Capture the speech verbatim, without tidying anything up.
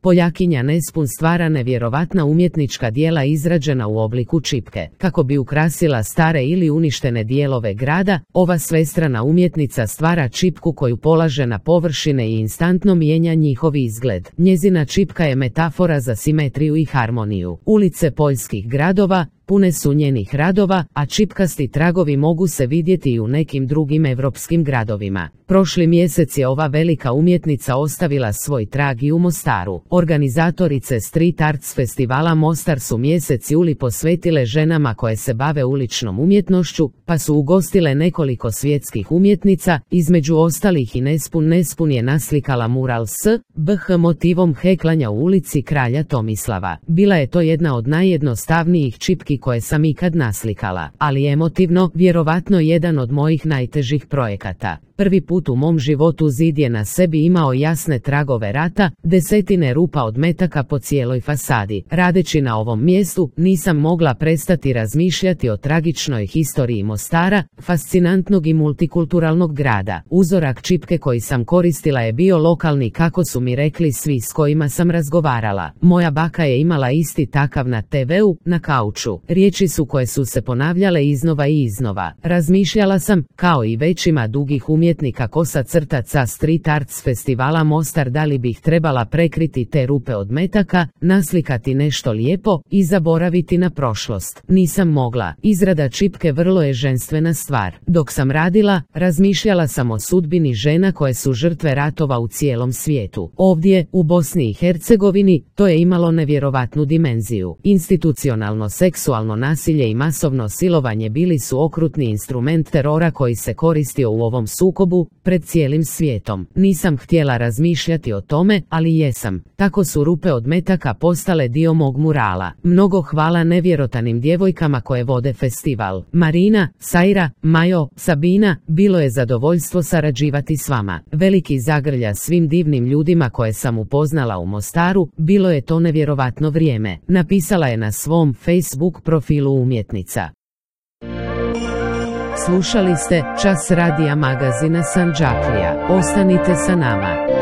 Poljakinja Nespun stvara nevjerovatna umjetnička djela izrađena u obliku čipke. Kako bi ukrasila stare ili uništene dijelove grada, ova svestrana umjetnica stvara čipku koju polaže na površine i instantno mijenja njihov izgled. Njezina čipka je metafora za simetriju i harmoniju. Ulice poljskih gradova pune su njenih radova, a čipkasti tragovi mogu se vidjeti i u nekim drugim evropskim gradovima. Prošli mjesec je ova velika umjetnica ostavila svoj trag i u Mostaru. Organizatorice Street Arts festivala Mostar su mjesec juli posvetile ženama koje se bave uličnom umjetnošću, pa su ugostile nekoliko svjetskih umjetnica, između ostalih i Nespun. Nespun je naslikala mural s B H motivom heklanja u ulici Kralja Tomislava. Bila je to jedna od najjednostavnijih čipki koje sam ikad naslikala, ali emotivno, vjerovatno jedan od mojih najtežih projekata. Prvi put u mom životu zid je na sebi imao jasne tragove rata, desetine rupa od metaka po cijeloj fasadi. Radeći na ovom mjestu, nisam mogla prestati razmišljati o tragičnoj historiji Mostara, fascinantnog i multikulturalnog grada. Uzorak čipke koji sam koristila je bio lokalni, kako su mi rekli svi s kojima sam razgovarala. Moja baka je imala isti takav na te veu, na kauču. Riječi su koje su se ponavljale iznova i iznova. Razmišljala sam, kao i većima dugih umjetnika kosa crtaca Street Arts festivala Mostar, da li bih trebala prekriti te rupe od metaka, naslikati nešto lijepo i zaboraviti na prošlost. Nisam mogla. Izrada čipke vrlo je ženstvena stvar. Dok sam radila, razmišljala sam o sudbini žena koje su žrtve ratova u cijelom svijetu. Ovdje, u Bosni i Hercegovini, to je imalo nevjerovatnu dimenziju. Institucionalno seksualno nasilje i masovno silovanje bili su okrutni instrument terora koji se koristio u ovom sukobu pred cijelim svijetom. Nisam htjela razmišljati o tome, ali jesam. Tako su rupe od metaka postale dio mog murala. Mnogo hvala nevjerotanim djevojkama koje vode festival. Marina, Sajra, Majo, Sabina, bilo je zadovoljstvo sarađivati s vama. Veliki zagrlja svim divnim ljudima koje sam upoznala u Mostaru, bilo je to nevjerovatno vrijeme. Napisala je na svom Facebook profilu umjetnica. Slušali ste Čas radija magazina Sandžaklija. Ostanite sa nama.